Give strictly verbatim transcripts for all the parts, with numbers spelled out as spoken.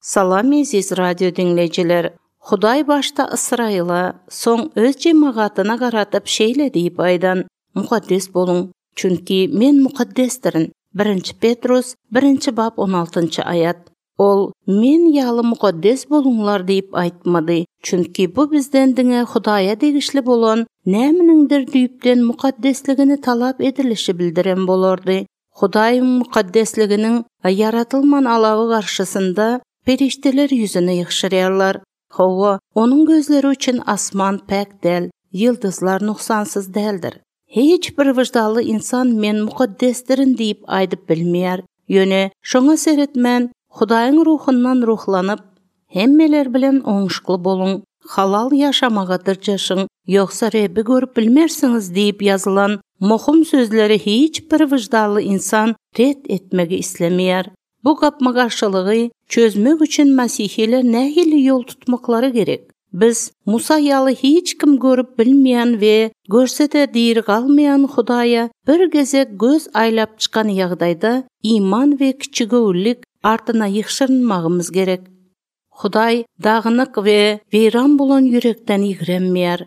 Salam eziz radio diňleýjiler. Hudaý başda Ysraýyla, soň öz jemagatyna garatyp şeýle diýip aýdan: Mukaddes boluň, çünki men mukaddesdirin. Birinji Petrus, birinji bap on altynjy aýat. Ol men ýaly mukaddes boluňlar diýip aýtmady, çünki bu bizden diňe Hudaýa degişli bolan nämeniňdir düýpden mukaddesligini talap edilişi bildiren bolardy. Hudaýyň mukaddesliginiň ýaratylman alawy garşysynda perişdeler ýüzüni ýygşyrýarlar. Hawa, onuň gözleri üçin asman päk däl, ýyldyzlar nuksansyz däldir. Hiç bir wyždanly insan men mukaddesdirin diýip aýdyp bilmeýär. Ýöne şoňa seretmän, Hudaýyň ruhundan ruhlanyp, hemmeler bilen oňuşykly boluň, halal ýaşamaga dyrjaşyň, ýogsa Rebbi görüp bilmersiňiz diýip ýazylan muhim sözleri hiç bir wyždanly insan ret etmegi islemeýär. Bu gapma-garşylygy çözmek üçin mesihiler nähili ýol tutmaklary gerek? Biz Musa ýaly hiç kim görüp bilmeýän we görse-de diri galmaýan Hudaýa bir gezek göz aýlap çykan ýagdaýda iman we kiçigöwünlik artyna ýygşyrynmagymyz gerek. Hudaý dagynyk we weýran bolan ýürekden ýigrenmeýär.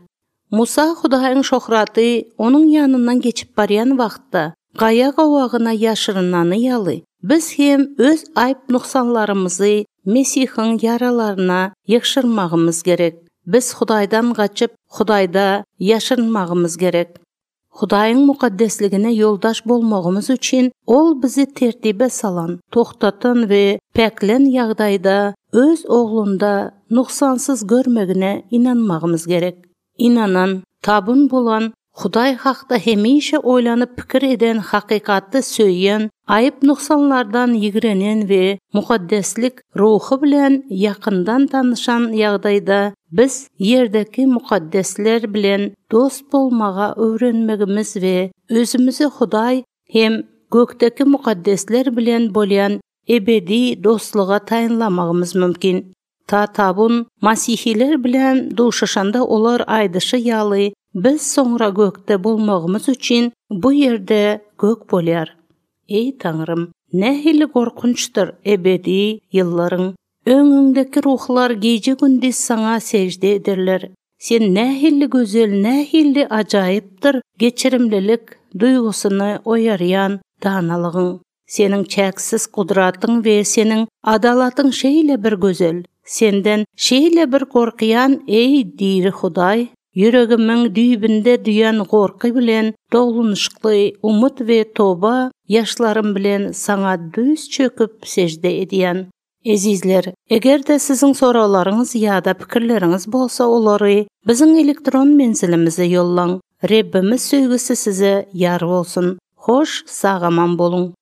Musa Hudaýyň şöhraty onuň ýanyndan geçip barýan wagtda gaýa gowagyna ýaşyrynany ýaly, biz hem öz aýp nuksanlarymyzy Mesihiň ýaralaryna ýygşyrmagymyz gerek. Biz Hudaýdan gaçyp, Hudaýda ýaşyrynmagymyz gerek. Hudaýyň mukaddesligine ýoldaş bolmagymyz üçin ol bizi tertibe salan, tohtatan we päklän ýagdaýda öz oglunda nuksansyz görmegine inanmagymyz gerek. Inanan, tabyn bolan, Hudaý hakda hemişe oýlanyp pikir eden, hakykaty söýen, aýyp nuksanlardan ýigrenen we mukaddeslik ruhy bilen ýakyndan tanyşan ýagdaýda biz ýerdäki mukaddesler bilen dost bolmaga öwrenmegimiz we özümizi Hudaý hem gökdäki mukaddesler bilen bolýan ebedi dostluga taýynlamagymyz mümkin. Ta tabun masihiler bilen duşuşanda olar aýdyşy ýaly biz soňra gökde bolmagymyz üçin bu ýerde gök bolýar. Eý Taňrym, nähili gorkunçdyr ebedi ýyllaryň. Öňüňdäki ruhlar gije gündiz saňa sežde ederler. Sen nähili gözel, nähili ajaýypdyr geçirimlilik duýgusyny oýarýan danalygyň. Seniň çäksiz gudratyň we seniň adalatyň şeýle bir gözel. Senden şeýle bir gorkýan eý diri Hudaý, ýüregimiň düýbünde duýan gorky bilen doglunyşykly umyt we toba ýaşlarym bilen saňa düz çöküp sežde edýän. Ezizler, eger-de siziň soraglaryňyz ýa-da pikirleriňiz bolsa, olary biziň elektron menzilimize ýollaň. Rebbimiz söýgüsi size ýar bolsun. Hoş, sag-aman boluň.